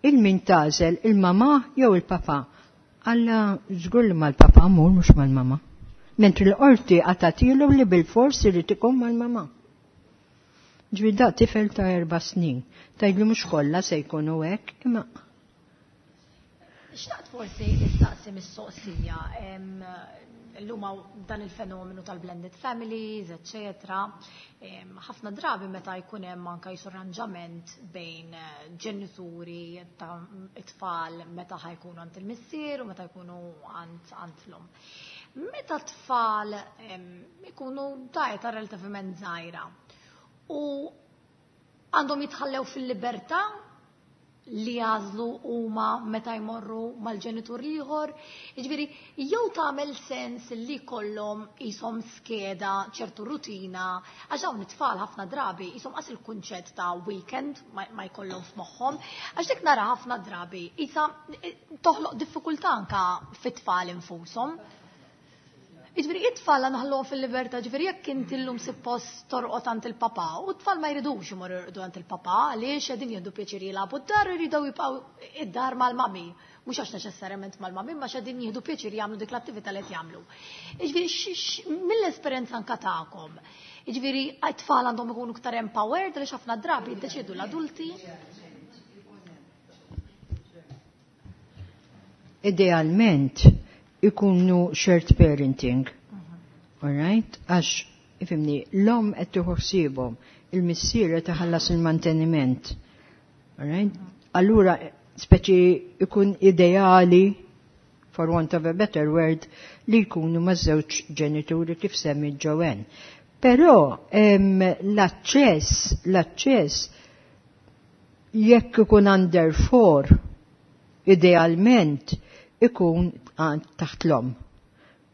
Il-min tagħżel, il-mama jew il-papa? Alla żgur li mal-papa mur mhux mal-mama. Mentri l-qorti għatatilu li bil-fors irid ikun mal-mama. Ġifieri da tifel ta' 4 snin. Tgħidli mhux kollha se jkunu hekk, imma Xtaqt forsi issaqsi mistoqsija illum hawn dan il-fenomenu tal-blended families, eccetera. Ħafna drabi meta jkun hemm anka jisu arranġament bejn ġenituri ta' it-tfal meta ħa jkunu għand il-missier u meta jkunu għand l-omm. Meta t-tfal ikunu ta' età relattivament żgħira u għandhom jitħallew fil-libertà li jagħżlu huma meta jmorru mal-ġenitur ieħor. Jiġifieri, jew tagħmel sens li kollhom qishom skeda, ċertu rutina, għax dawn it-tfal ħafna drabi qishom qas il-kunċett ta' weekend ma jkollhom f'moħħhom, għax dik nara ħafna drabi qisha toħloq diffikultà anka fit-tfal infushom. Jiġifieri it-tfal naħluhom fil-libertà, ġifieri jekk inti llum suppost torqod għand il-papà, u t-tfal ma jridux imorru jorqdu għand il-papà, għaliex qegħdin jieħdu pjaċir jilagħbu d-dar u jridu jibqgħu id-dar mal-mami. Mhux għax neċessarjament mal-mami, ma qegħdin jieħdu pjaċir jagħmlu dik l-attività li qed jagħmlu. Jiġifieri mill-esperjenza anka tagħkom, jiġifieri it-tfal għandhom ikunu iktar empowered għaliex ħafna drabi jiddeċiedu l-adulti. Idealment ikunu shared parenting. Alright? Għax, ifhimni, l-omm qed tieħu ħsiebhom, il-missier qed iħallas il-manteniment. Alright? Allura, speċi ikun ideali, for want of a better word, li jkunu ma' żewġ ġenituri kif semmi Joanne. Però l-aċċess jekk ikun under 4, idealment ikun taħt l-omm.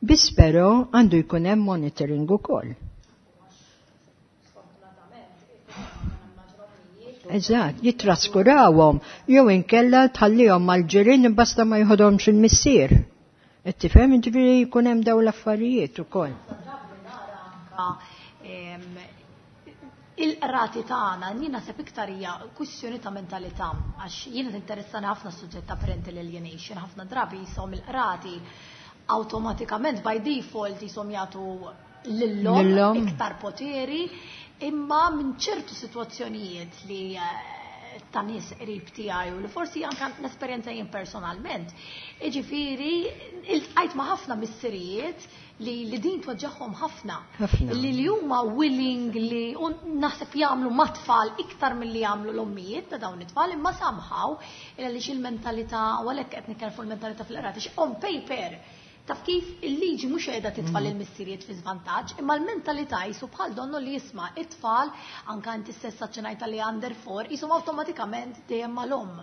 Biss però għandu jkun hemm monitoring ukoll. Eżatt, jitraskurawhom jew inkella tħallihom mal-ġirien basta ma jħodhomx il-missier. Qed tifhem ġifieri jkun hemm dawn l-affarijiet ukoll. Il-qrati tagħna jien naħseb iktar hija kwistjoni ta' mentalità għax jiena tinteressani ħafna s-suġġett ta' parental alienation, ħafna drabi jisom il-qrati awtomatikament by default jisom jagħtu lillhom iktar poteri, imma minn ċertu sitwazzjonijiet li ta' nies qrib tiegħi u li forsi anke l-esperjenza jien personalment. Jiġifieri iltqajt ma' ħafna missirijiet li din tweġġagħhom ħafna. Li huma willing li u naħseb jagħmlu mat-tfal iktar milli jagħmlu l-ommijiet ta' dawn it-tfal, imma somehow għaliex il-mentalità, u għalhekk qed nitkellem fuq il-mentalità fil-qrati, on paper taf kif il-liġi mhux qiegħda titfa' lill-missirijiet fi żvantaġġ, imma l-mentalità jisu bħal donnu li jisma' it-tfal, anke inti stess aċċenajta li under 4, jisom awtomatikament dejjem mal-omm.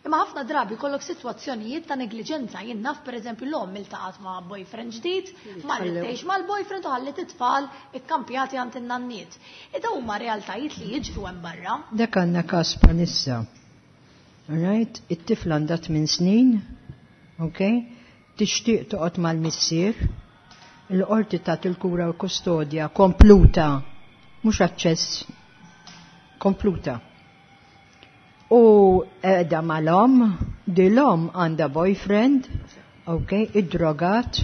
Imma ħafna drabi kollok sitwazzjonijiet ta' negliġenza. Jien naf pereżempju l-omm iltaqgħet ma' boyfriend ġdid, marret tgħix mal-boyfriend u ħallit it-tfal ikkampjati għand in-nanniet. Ida huma realtajiet li jiġru hemm barra. Dak għandna każ bħalissa. Right? It-tifla għandha 8 snin, okay? Tixtieq toqgħod mal-missier, il-qorti tagħti il-kura u kustodja kompluta, mhux aċċess, kompluta. U qiegħda mal-omm, di l-omm għandha boyfriend, ok, id-drogat,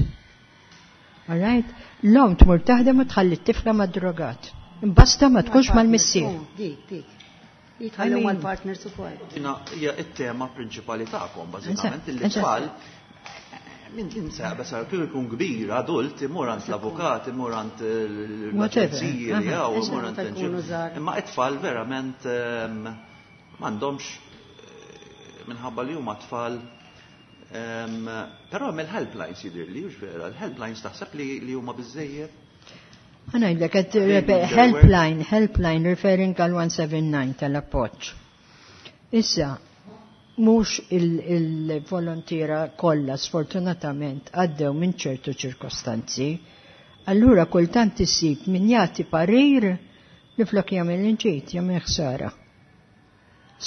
all right? L-omm tmur taħdem u tħalli t-tifla mad-drogat. Imbasta ma tkunx mal-missier. Dik, dik. Jitħallu mal-partners ukoll. Dina hija t-tema prinċipali tagħkom, bażikament, li tfal Min insab, bas kif ikun kbir, adult, imur għand l-avukat, imur għand l-aġenziji li hawn, imur għand l Imma it-tfal verament m'għandhomx minħabba li huma tfal. Però hemm il-helplines jidhirli, hux vera, il-helplines taħseb li huma biżejjed? Ħa ngħidlek, helpline, helpline referring għal 179 tal-appoġġ. Issa, mhux il-volontiera kollha sfortunatament għaddew minn ċertu ċirkostanzi, allura kultant isib min jagħti parir li flok jagħmel inġid, jagħmel ħsara.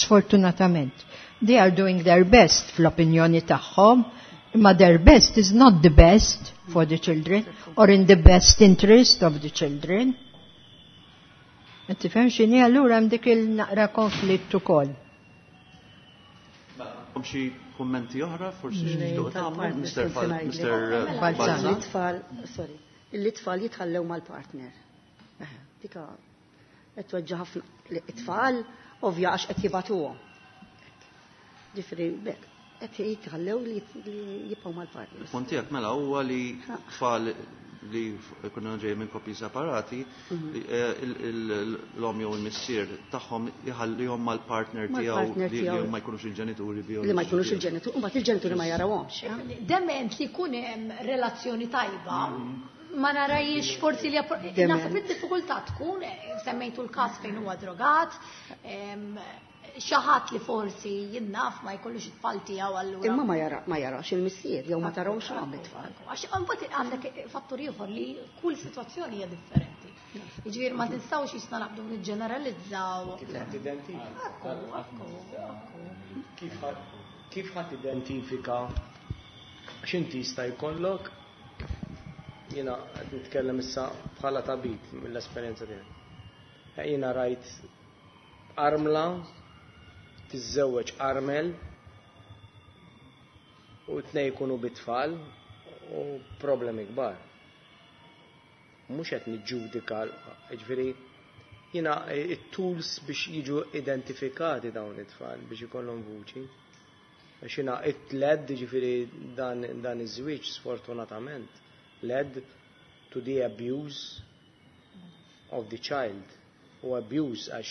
Sfortunatament. They are doing their best fl-opinjoni tagħhom, imma their best is not the best for the children or in the best interest of the children. Qed tifhem x'inhi, allura hemm dik il-naqra konflitt ukoll. Għandkom xi kummenti oħra, forsi xi tixtiequ tagħmlu, Mr. Mr. Balzan? L-itfal, sorry, l-itfal jitħallew mal-partner. Dika qed tweġġa' ħafna l-itfal, ovvja għax qed jibatuhom. Ġifieri bekk qed jitħallew li jibqgħu mal-partner. Il-punt tiegħek mela huwa li tfal li jkunu ġej minn koppji separati, l-omm jew il-missier tagħhom jħallihom mal-partner tiegħu li ma jkunux il-ġenituri bioloġiċi. Li ma jkunux il-ġenituri, u mbagħad il-ġenituri ma jarawhomx. Dement li jkun hemm relazzjoni tajba, ma narajx forsi li naħseb id-diffikultà tkun, semmejtu l-każ fejn huwa drogat, xi ħadd li forsi jinnaf ma jkollux it-tfal tiegħu allura. Imma ma jarax il-missier jew ma tarawx għam it-tfal. Għax imbagħad għandek fattur ieħor li kull sitwazzjoni hija differenti. Jiġifieri ma tinstawx jisna naqbdu niġġeneralizzaw. Kif ħadd identifika? Kif ħadd identifika x'inti jista' jkollok? Jiena qed nitkellem issa bħala tabib mill-esperjenza tiegħi. Jiena rajt armla tiżżewweġ armel u t-tnejn jkunu bit-tfal u problemi kbar. Mhux qed niġġudika, jiġifieri jiena it-tools biex jiġu identifikati dawn it-tfal biex ikollhom vuċi. Għax jiena it-led, jiġifieri dan iż-żwieġ sfortunatament led to the abuse of the child. U abuse għax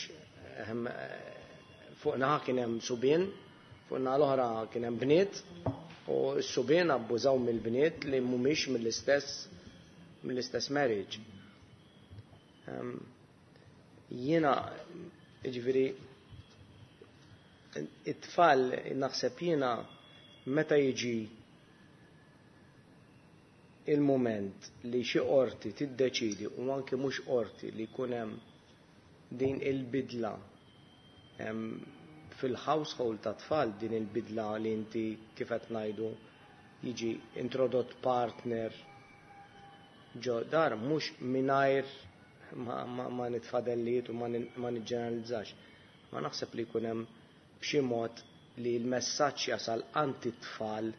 fuq naħa kien hemm subien, fuq naħa l-oħra kien hemm bniet, u s-subien abbużaw mill-bniet li mhumiex mill-istess marriage. Jiena, jiġifieri, it-tfal naħseb jiena meta jiġi il-moment li xi qorti tiddeċidi u anke mhux qorti li jkun hemm din il-bidla fil-household ta' tfal, din il-bidla li inti kif qed ngħidu jiġi introdott partner ġo dar, mhux mingħajr ma nitfadellijiet u ma niġġeneralizzax. Ma naħseb li jkun hemm b'xi mod li l-messaġġ jasal għand it-tfal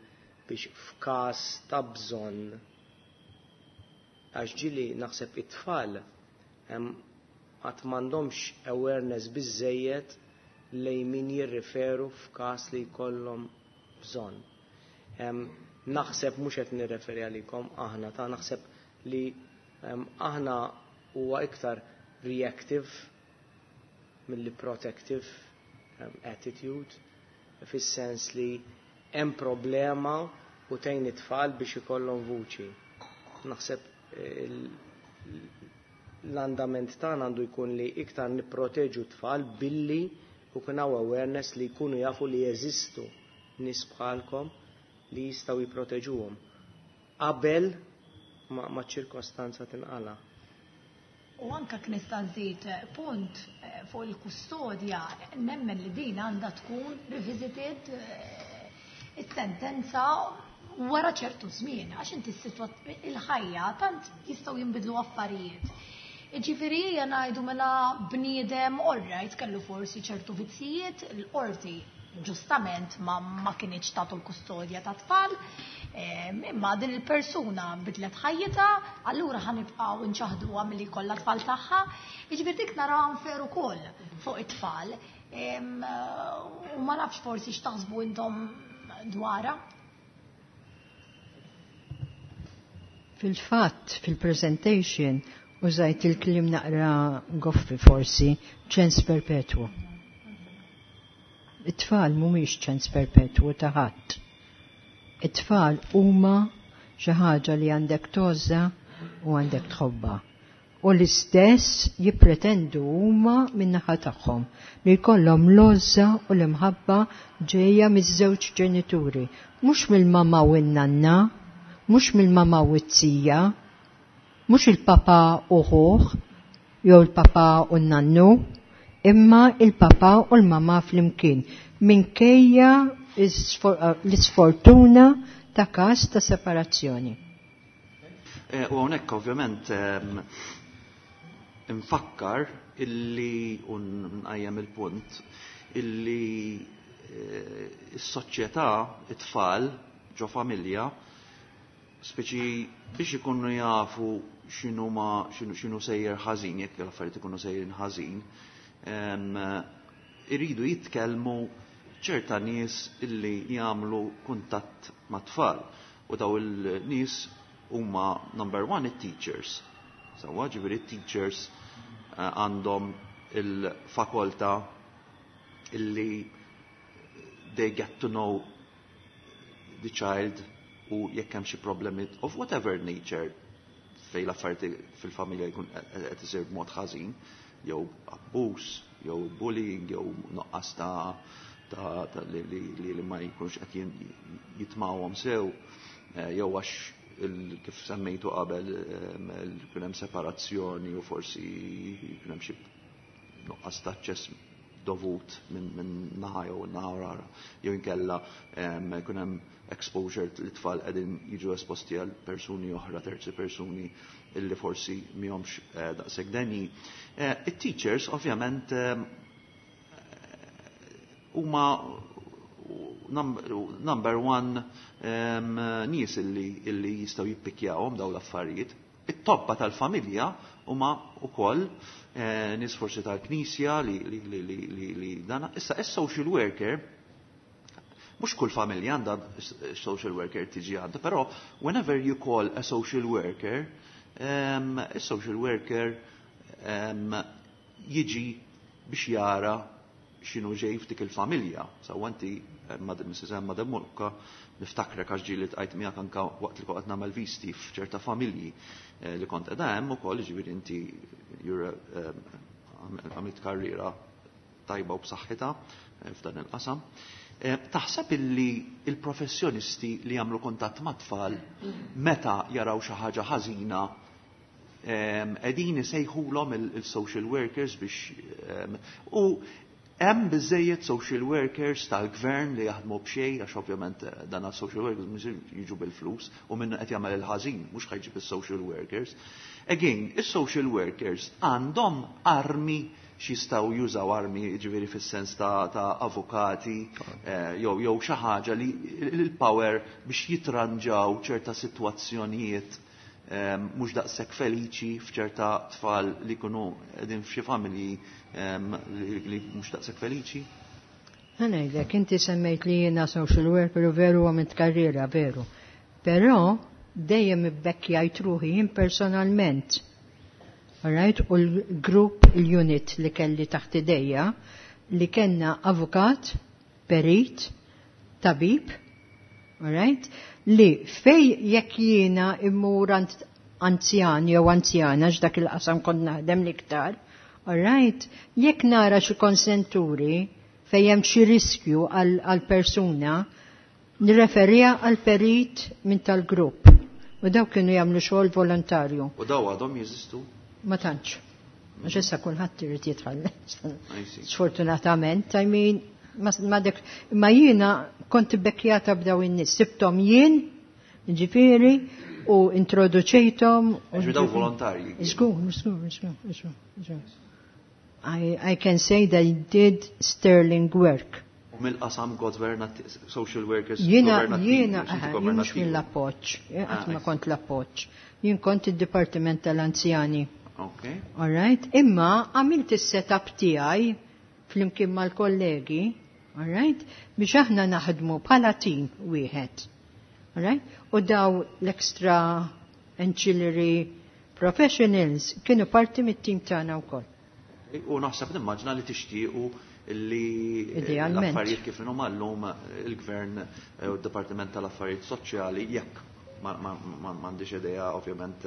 biex f'każ ta' bżonn. Għax ġieli naħseb it-tfal qatt m'għandhomx awareness biżżejjed Lejn min jirriferu f'każ li jkollhom bżonn. Naħseb, mhux qed nirreferi għalikom, aħna ta' naħseb li aħna huwa iktar reactive milli protective attitude, fis-sens li hemm problema u tgħin it-tfal biex ikollhom vuċi. Naħseb l-andament tagħna għandu jkun li iktar nipproteġu t-tfal billi jkun hawn awareness li jkunu jafu li jeżistu nies bħalkom li jistgħu jipproteġuhom qabel ma ċirkostanza tinqala. U anka nista' nżid punt fuq il-kustodja, nemmen li din għandha tkun revisited, is-sentenza, wara ċertu żmien, għax inti il-ħajja tant jistgħu jinbidlu affarijiet. Ġifieri ngħidu mela bniedem, alright, kellu forsi ċertu vizzijiet, l-qorti ġustament ma kinitx tagħtu l-kustodja ta' tfal, imma din il-persuna bidlet ħajjitha, allura ħa nibqgħu nċaħduha milli jkollha tfal tagħha. Jiġifieri dik naraw unfair ukoll fuq it-tfal. U ma nafx forsi x'taħsbu intom dwarha. Fil-fatt, fil-presentation, użajt il-kliem naqra goffi forsi, ċens perpetwu. It-tfal mhumiex ċens perpetwu ta' ħadd. It-tfal huma xi ħaġa li għandek tgħożżha u għandek tħobba. U l-istess jippretendu huma min-naħa tagħhom li jkollhom l-għożża u l-imħabba ġejja miż-żewġ ġenituri, mhux mill-mama u n-nanna, mhux mill-mama u t-tija, mhux il-papa u ħuh, jew il-papa u n-nannu, imma il-papa u l-mama flimkien, minkejja l-isfortuna ta' każ ta' separazzjoni. U hawnhekk ovvjament infakkar illi u nqajjem il-punt illi s-soċjetà, it-tfal ġo familja, speċi biex ikunu jafu x'inhu ma x'inhu sejjer ħażin, jekk l-affarijiet ikunu sejrin ħażin, iridu jitkellmu ċerta nies illi jagħmlu kuntatt mat-tfal. U daw il-nies huma number one it-teachers. Sewwa, ġifieri it-teachers għandhom il-fakoltà illi they get to know the child u jekk hemm xi problemi of whatever nature fej l-affarijiet fil-familja jkun qed isir b'mod ħażin, jew abbuż, jew bullying, jew nuqqas ta' li ma jkunx qed jitmawhom sew, jew għax kif semmejtu qabel kien hemm separazzjoni u forsi kien hemm xi nuqqas ta' aċċess dovut minn naħa jew naħa rara, jew inkella jkun hemm exposure li tfal qegħdin jiġu esposti għal persuni oħra, terzi persuni illi forsi mihomx daqshekk denji. It-teachers ovvjament huma number one nies illi jistgħu jippikjawhom daw l-affarijiet. It-tobba tal-familja huma wkoll nies forsi tal-knisja li dana. Issa is-social worker, mhux kull familja għandha social worker tiġi għandha, però whenever you call a social worker, is-social worker jiġi biex jara x'inhu ġej f'dik il-familja. Sewwa, inti, Mrs. Emma De Luca, niftakrek għax ġieli ltqajt miegħek anka waqt li kont nagħmel visti f'ċerta familji li kont qiegħda hemm ukoll, ġifieri inti għamilt karriera tajba u b'saħħitha f'dan il-qasam. Taħseb illi il-professjonisti li jagħmlu kuntatt mat-tfal, meta jaraw xi ħaġa ħażina, qegħdin isejħulhom il-social workers biex u hemm biżejjed social workers tal-gvern li jaħdmu b'xejn, għax ovvjament dan social workers mhux jiġu bil-flus u minn qed jagħmel il-ħażin mhux ħa jġib is-social workers. Again, is-social workers għandhom armi x'jistgħu jużaw, armi ġifieri fis-sens ta' avukati jew xi ħaġa li l-power biex jitranġaw ċerta sitwazzjonijiet mhux daqshekk feliċi f'ċerta tfal li jkunu qegħdin f'xi familji li mhux daqshekk feliċi? Ħa ngħidlek, inti semmejt li jiena social worker u veru għamilt karriera, veru. Però dejjem ibbekkjajt ruħi jien personalment. Alright? U l-grupp, il-unit li kelli taħt idejja, li kellna avukat, perit, tabib, alright? Li fej jekk jiena immur anzjan jew anzjana, x'dak il-qasam kont naħdem l-iktar, alright? Jekk nara xi konsenturi fejn hemm xi riskju għal persuna, nirreferija għal perit minn tal-grupp. U daw kienu jagħmlu xogħol volontarju. U daw għadhom jeżistu? Ma tantx. Għax issa kulħadd irid jitħalles. Sfortunatament, I mean, ma dik, ma jiena kont bekkjata b'daw in-nies. Sibthom jien, ġifieri, u introduċejthom. Ġifieri daw volontarji. Żgur, żgur, żgur, żgur, żgur. I can say they did sterling work. U mill-qasam social workers, Jiena, jiena, jien mhux mill-appoġġ, qatt ma kont l-appoġġ. Jien kont id-Dipartiment tal-Anzjani. All right? Imma għamilt is-setup tiegħi flimkien mal-kollegi, all right? Biex aħna naħdmu bħala team wieħed. All right? U daw l-extra ancillary professionals kienu parti mit-team tagħna wkoll. U naħseb nimmaġna li tixtiequ li Idealment. l-affarijiet kif inhuma llum il-Gvern u d-Dipartiment tal-Affarijiet Soċjali, jekk m'għandix idea ovvjament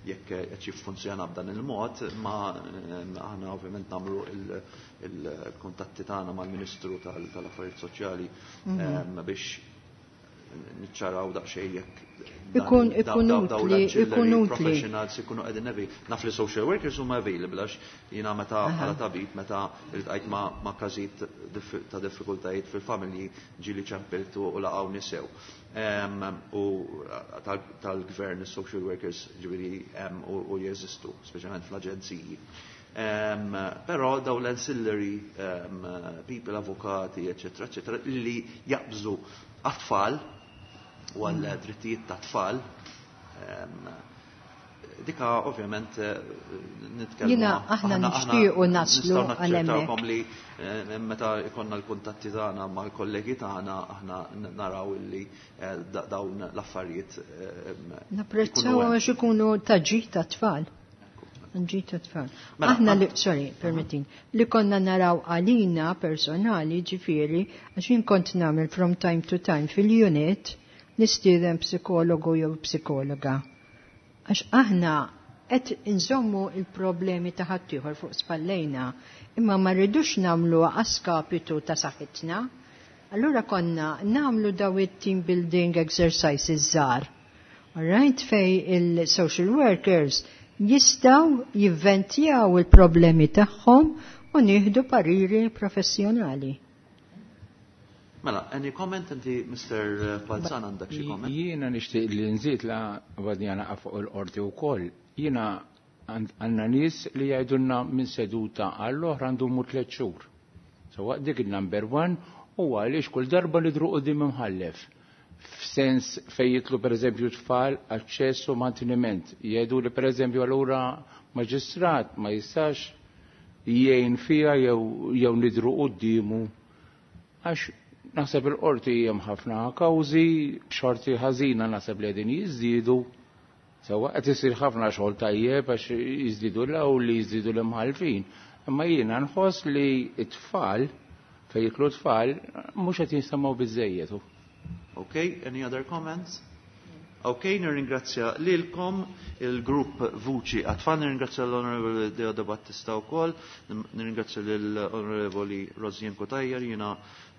jekk qed jiffunzjona b'dan il-mod, ma aħna ovvjament nagħmlu il-kuntatti tagħna mal-Ministru tal-Affarijiet Soċjali biex niċċaraw daqsxejn jekk Ikun dawn utli, l-ancillary ikun utli. professionals ikunu qegħdin naf li social workers huma available għax jiena meta bħala tabib meta iltqajt ma' każijiet ta' diffikultajiet fil-familji ġieli ċempiltu u laqgħu nisew. U tal-gvern is-social workers ġifieri u jeżistu, speċjalment fl-aġenziji. Però daw l-ancillary people, avukati, eccetera, eccetera, li jaqbżu għat-tfal u għal drittijiet ta' tfal, dika ovvjament nitkellmu. Jiena aħna nixtiequ naslu nistgħu għal hemmhekk. naċċertawkom li meta ikonna l-kuntatti tagħna mal-kollegi tagħna aħna naraw illi dawn l-affarijiet Napprezzaw ikunu hemm. għax ikunu ta' ġid ta' tfal. Ġid ta' tfal. Mela, Aħna li, sorry, permettin, li konna naraw għalina personali ġifieri, għax jien kont nagħmel from time to time fil-unit nistieden psikologu jew psikologa. Għax aħna qed inżommu il-problemi ta' ħaddieħor fuq spallejna, imma ma rridux nagħmlu għaskapitu ta' saħħitna. Allura konna nagħmlu daw it-team building exercises żgħar. All right, fej il-social workers jistaw jivventjaw il-problemi tagħhom u nieħdu pariri professjonali. Mela, any comment inti, Mr. Balzan, għandek xi comment? Jiena nixtieq li nżid la għadni għana fuq il-qorti wkoll. Jiena għandna nies li jgħidulna minn seduta għall-oħra ndumu 3 xhur. So waqt dik il-number 1 u għaliex kull darba nidru quddiem imħallef. F'sens fejn jitlu pereżempju tfal aċċess u manteniment. Jgħidu li pereżempju allura maġistrat ma jistax jgħin fija jew nidru quddiemu. Għax naħseb il-qorti hemm ħafna kawżi, b'xorti ħażina naħseb li qegħdin jiżdiedu. Sewwa qed isir ħafna xogħol tajjeb għax jiżdiedu l-hawn li jiżdiedu l-imħallfin. Imma jiena nħoss li t-tfal fejn jitlu tfal mhux qed jinsemgħu biżejjed. Okay, any other comments? Okay, nirringrazzja lilkom il-grupp Vuċi għat-Tfal, nirringrazzja l-Onorevoli Deo De Battista wkoll, nirringrazzja l-Onorevoli Rosianne Cutajar, jiena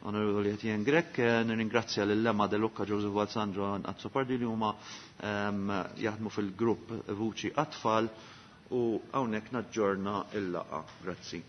Onorevoli Etienne Grech, nirringrazzja lil Emma De Lucca, Joseph Balzan, Joan Azzopardi li huma jaħdmu fil-grupp Vuċi għat-Tfal u hawnhekk naġġorna il-laqgħa. Grazzi.